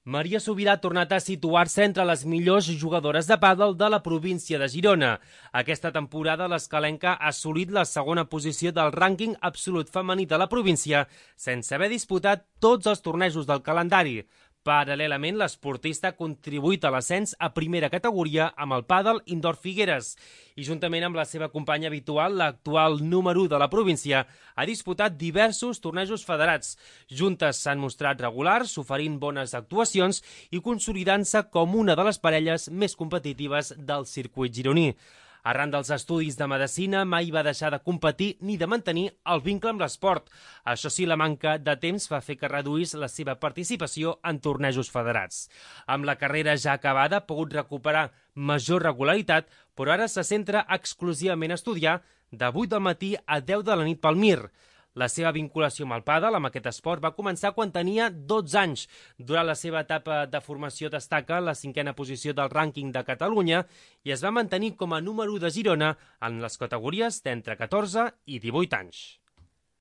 Maria Subirà ha tornat a situar-se entre les millors jugadores de pàdel de la província de Girona. Aquesta temporada l'escalenca ha assolit la segona posició del rànquing absolut femení de la província, sense haver disputat tots els tornejos del calendari. Paral·lelament, l'esportista ha contribuït a l'ascens a primera categoria amb el pàdel Indoor Figueres i, juntament amb la seva companya habitual, l'actual número 1 de la província, ha disputat diversos tornejos federats. Juntes s'han mostrat regulars, oferint bones actuacions i consolidant-se com una de les parelles més competitives del circuit gironí. Arran dels estudis de medicina, mai va deixar de competir ni de mantenir el vincle amb l'esport. Això sí, la manca de temps va fer que reduís la seva participació en tornejos federats. Amb la carrera ja acabada, ha pogut recuperar major regularitat, però ara se centra exclusivament a estudiar de 8 del matí a 10 de la nit pel Mir. La seva vinculació amb el pàdel, amb aquest esport, va començar quan tenia 12 anys. Durant la seva etapa de formació destaca la 5a posició del rànquing de Catalunya i es va mantenir com a número 1 de Girona en les categories d'entre 14 i 18 anys.